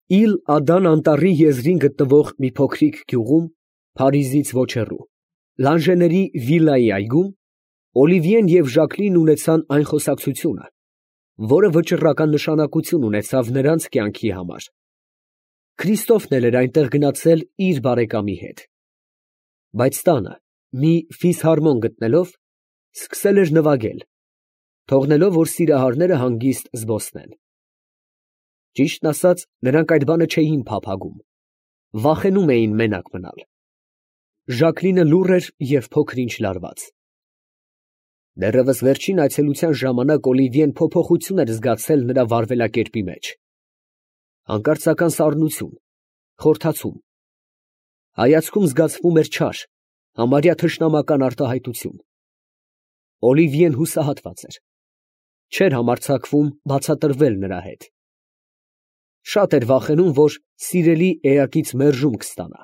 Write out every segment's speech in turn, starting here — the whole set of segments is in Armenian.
Իլ Ադան անտառի եզրին գտնվող մի փոքրիկ գյուղում, Փարիզից ոչ հեռու, Լանժեների վիլայի այգում, Օլիվիեն և Ժակլինն ունեցան այն խոսակցությունը, որը վճռական նշանակություն ունեցավ նրանց կյանքի համար. Քրիստոֆն էլ էր այնտեղ գնացել իր բարեկամի հետ, բայց տանը մի ֆիսհարմոն գտնելով, սկսել էր նվագել, թողնելով, որ սիրահարները հանգիստ զբոսնեն։ Ճիշտն ասած, նրանք այդ բանը չէին փափագում, վախենում էին մենակ մնալ։ Ժակլինը լուռ էր և փոքր-ինչ լարված։ Դեռևս վերջին այցելության ժամանակ Օլիվիեն փոփոխություն էր զգացել նրա վարվելակերպի մեջ. հանկարծական սառնություն, խորթացում, հայացքում զգացվում էր չար, համարյա թշնամական արտահայտություն։ Օլիվիեն հուսահատված էր, չէր համարձակվում բացատրվել նրա հետ։ Շատ էր վախենում, որ սիրելի էակից մերժում կստանա։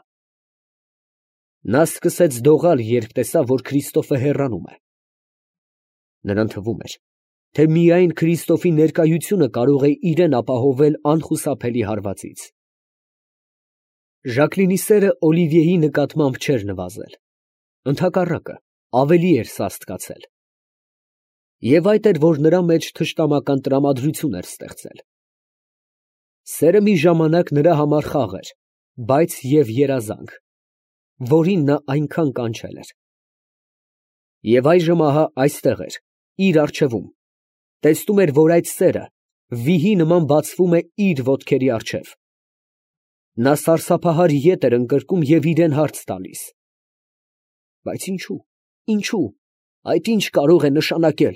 Նա սկսեց դողալ, երբ տեսավ, որ Քրիստոֆը հեռանում է։ Նրան թվում էր, թե միայն Քրիստոֆի ներկայությունը կարող է իրեն ապահովել անխուսափելի հարվածից։ Ժակլինի սերը Օլիվիեի նկատմամբ չէր նվազել, ընդհակառակը, ավելի էր սաստկացել։ Եվ այդ էր, որ նրա մեջ թշնամական տրամադրություն էր ստեղծել։ Սերը մի ժամանակ նրա համար խաղ էր, բայց և երազանք, որին նա այնքան կանչել էր։ Եվ այժմ ահա այստեղ էր, իր առջևում, տեսնում էր, որ այդ սերը վիհի նման բացվում է իր ոտքերի առջև։ Նա սարսափահար ետ էր ընկրկում և իրեն հարց տալիս. բայց ինչու, այդ ինչ կարող է նշանակել։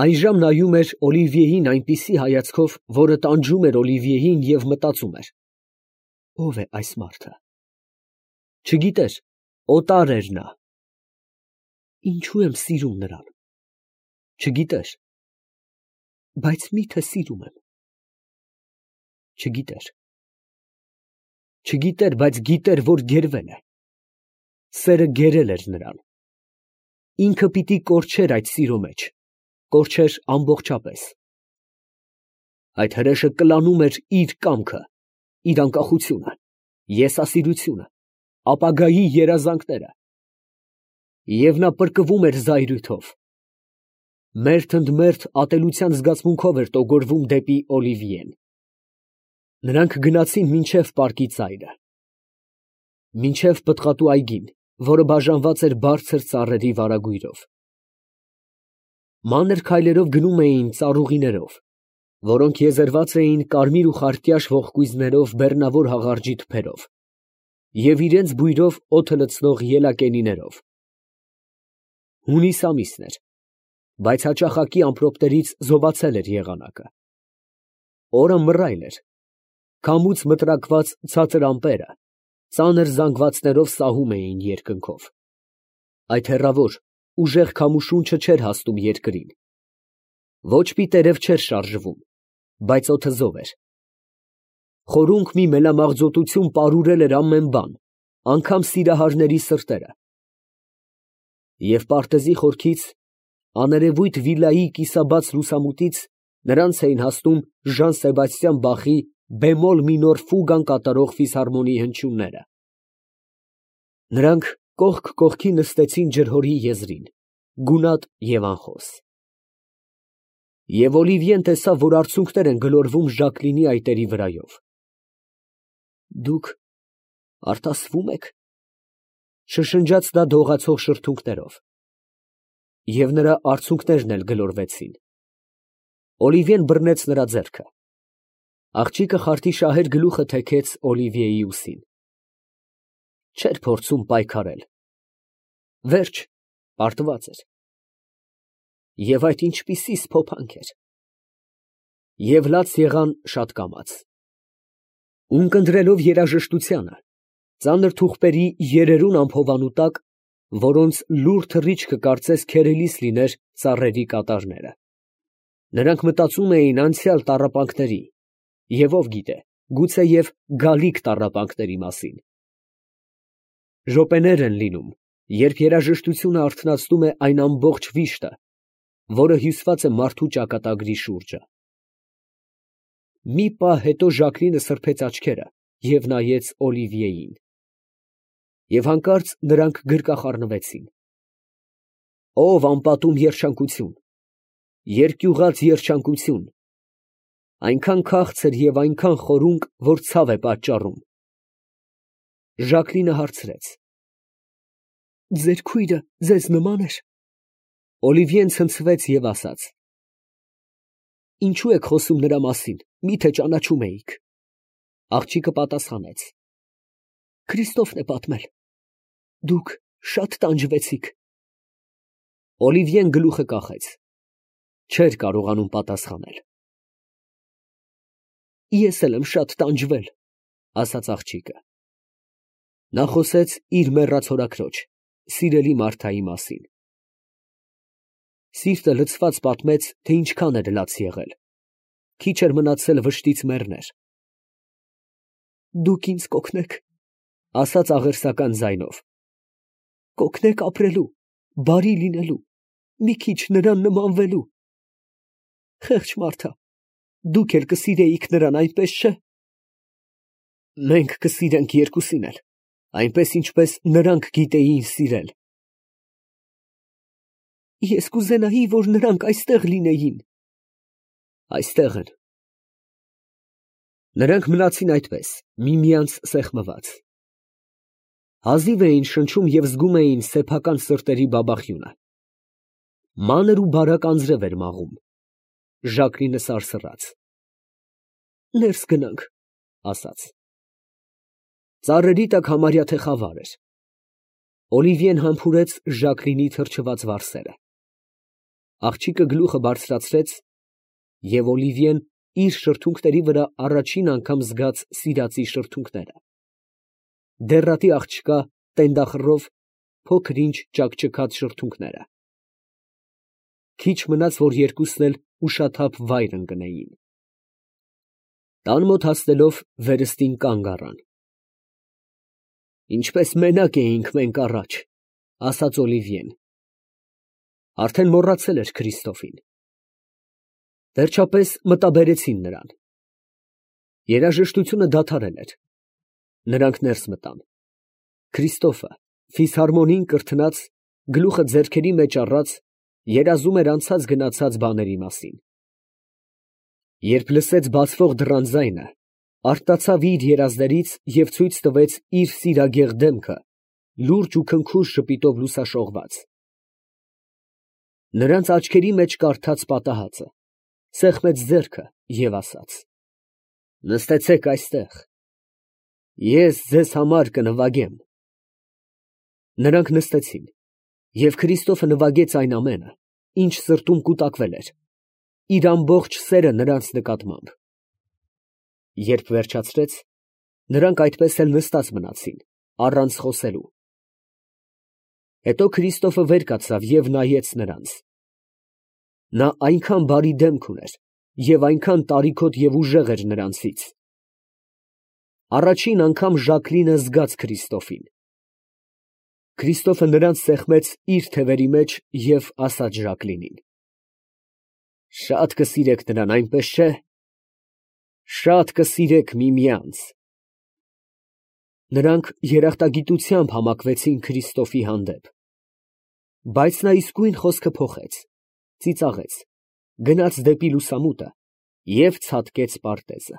Այժմ նայում էր Օլիվիեին այնպիսի հայացքով, որը տանջում էր Օլիվիեին և մտածում էր. ո՞վ է այս մարդը։ Չգիտեր, օտար էր նա։ Ինչու եմ սիրում նրան։ Չգիտեր, բայց մի՞թե սիրում եմ։ Չգիտեր, բայց գիտեր, որ գերվել է։ Սերը գերել էր նրան։ Ինքը պիտի կորչեր այդ սիրո մեջ, կորչեր ամբողջապես։ Այդ հրեշը կլանում էր իր կամքը, իր անկախությունը, եսասիրությունը, ապագայի երազանքները։ Եվ նա պրկվում էր զայրույթով։ Մերթ ընդ մերթ ատելության զգացմունքով էր տոգորվում դեպի Օլիվիեն։ Նրանք գնացին մինչև պարկի ծայրը, մինչև պտղատու այգին, որը բաժանված էր բարձր ծառերի վարագույրով։ Մանր քայլերով գնում էին ծառուղիներով, որոնք եզերված էին կարմիր ու խարտյաշ ողկույզներով բեռնավոր հաղարջի թփերով և իրենց բույրով օդը լցնող ելակենիներով։ Հունիս ամիսն էր, բայց հաճախակի ամպրոպներից զոհացել էր եղանակը։ Օրը մռայլ էր, քամուց մտրակված ցածր ամպերը ծանր զանգվածներով սահում էին երկնքով։ Այդ հեռավոր, ուժեղ քամուշունչը չէր հասնում երկրին։ Ոչ մի տերև չէր շարժվում, բայց օդը զով էր։ Խորունկ մի մելամաղձոտություն պարուրել էր ամեն բան, անգամ սիրահարների սրտերը։ Եվ պարտեզի խորքից, աներևույթ վիլայի կիսաբաց լուսամուտից նրանց էին հասնում Ժան Սեբաստիան Բախի բեմոլ մինոր ֆուգան կատարող ֆիսհարմոնիի հնչյունները։ Նրանք կողք կողքի նստեցին ջրհորի եզրին, գունատ և անխոս։ Եվ Օլիվիեն տեսավ, որ արցունքներ են գլորվում Ժակլինի այտերի վրայով։ Դուք արտասվում եք, շշնջաց նա դողացող շրթունքներով։ Եվ նրա արցունքներն էլ գլորվեցին։ Օլիվիեն բռնեց նրա ձեռքը։ Աղջիկը խարտի շահեր գլուխը թեքեց Օլիվիեի ուսին։ Չէր փորձում պայքարել։ Վերջ, պարտված էր։ Եվ այդ ինչպիսի սփոփանք էր։ Եվ լաց եղան շատ կամաց։ Ունկնդրելով երաժշտությանը, ծանր թուղթերի երերուն ամփոփանու տակ, որոնց լուռ թռիչքը կարծես քերելիս լիներ ծառերի կատարները, նրանք մտածում էին անցյալ տառապանքների և ով գիտե, գուցեև գալիք տառապանքների մասին։ Րոպեներ են լինում, երբ երաժշտությունը արթնացնում է այն ամբողջ վիշտը, որը հյուսված է մարդու ճակատագրի շուրջը։ Մի պահ հետո Ժակլինը սրբեց աչքերը և նայեց Օլիվիեին։ Եվ հանկարծ նրանք գրկախառնվեցին։ Ով անպատում երջանկություն, երկյուղած երջանկություն, այնքան քաղցր և այնքան խորունկ, որ ցավ է պատճառում։ Ժակլինը հարցրեց. «Ձեր քույրը ձեզ նման էր»։ Օլիվիեն ցնցվեց և ասաց. «Ինչու եք խոսում նրա մասին, միթե ճանաչում էիք»։ Աղջիկը պատասխանեց. «Քրիստոֆն է պատմել. դուք շատ տանջվեցիք»։ Օլիվիեն գլուխը կախեց. չէր կարողանում պատասխանել։ «Ես էլ եմ շատ տանջվել», ասաց աղջիկը։ Նա խոսեց իր մեռած հորաքրոջ, սիրելի Մարթայի մասին։ Սիրտը լցված պատմեց, թե ինչքան էր լաց եղել։ Քիչ էր մնացել վշտից մեռներ։ «Դուք ինձ կօգնեք», ասաց աղերսական ձայնով։ «Կօգնեք ապրելու, բարի լինելու, մի քիչ նրան նմանվելու։ Խեղճ Մարթա, դուք էլ կսիրեիք նրան, այնպես չէ՞։ Մենք կսիրենք երկուսին էլ, այնպես ինչպես նրանք գիտեին սիրել»։ «Ես կուզենայի, որ նրանք այստեղ լինեին»։ «Այստեղ են»։ Նրանք մնացին այդպես, միմյանց սեղմված։ Հազիվ էին շնչում և զգում էին սեփական սրտերի բաբախյունը։ Մանր ու բարակ անձրև էր մաղում։ Ժակլինը սարսռաց. «Ներս գնանք», ասաց։ Ծառերի տակ համարյա թե խավար էր։ Օլիվիեն համբուրեց Ժակլինի թրջված վարսերը։ Աղջիկը գլուխը բարձրացրեց, և Օլիվիեն իր շրթունքների վրա առաջին անգամ զգաց սիրածի շրթունքները։ Դեռատի աղջկա տենդախռով փոքր֊ինչ ճաքճքած շրթունքները։ Քիչ մնաց, որ երկուսն էլ ուշաթափ վայր ընկնեին։ Տան մոտ հասնելով վերստին կանգ առան։ «Ինչպես մենակ էինք մենք առաջ», ասաց Օլիվիեն։ Արդեն մոռացել էր Քրիստոֆին։ Վերջապես մտաբերեցին նրան։ Երաժշտությունը դադարել էր։ Նրանք ներս մտան։ Քրիստոֆը, ֆիսհարմոնիին կրթնած, գլուխը ձեռքերի մեջ առած, երազում էր անցած գնացած բաների մասին։ Երբ լսեց բացվող դռան ձայնը, արտացավ իր երազներից և ցույց տվեց իր սիրագեղ դեմքը, լուրջ ու քնքուշ ժպիտով լուսաշողված։ Նրանց աչքերի մեջ կարդաց պատահածը, սեղմեց ձեռքը և ասաց. «Նստեցեք այստեղ, ես ձեզ համար կնվագեմ»։ Նրանք նստեցին, և Քրիստոֆը նվագեց այն ամենը, ինչ սրտում կուտակվել էր, իր ամբողջ սերը նրանց նկատմամբ։ Երբ վերջացրեց, նրանք այդպես էլ նստած մնացին, առանց խոսելու։ Հետո Քրիստոֆը վեր կացավ և նայեց նրանց։ Նա այնքան բարի դեմք ուներ և այնքան տարիքոտ և ուժեղ էր նրանցից։ Առաջին անգամ Ժակլինը զգաց Քրիստոֆին։ Քրիստոֆը նրանց սեղմեց իր թևերի մեջ և ասաց Ժակլինին. «Շատ կսիրեք նրան, այնպես չէ՞։ Շատ կսիրեք միմյանց»։ Նրանք երախտագիտությամբ համակվեցին Քրիստոֆի հանդեպ։ Բայց նա իսկույն խոսքը փոխեց, ծիծաղեց, գնաց դեպի լուսամուտը և ցատկեց պարտեզը։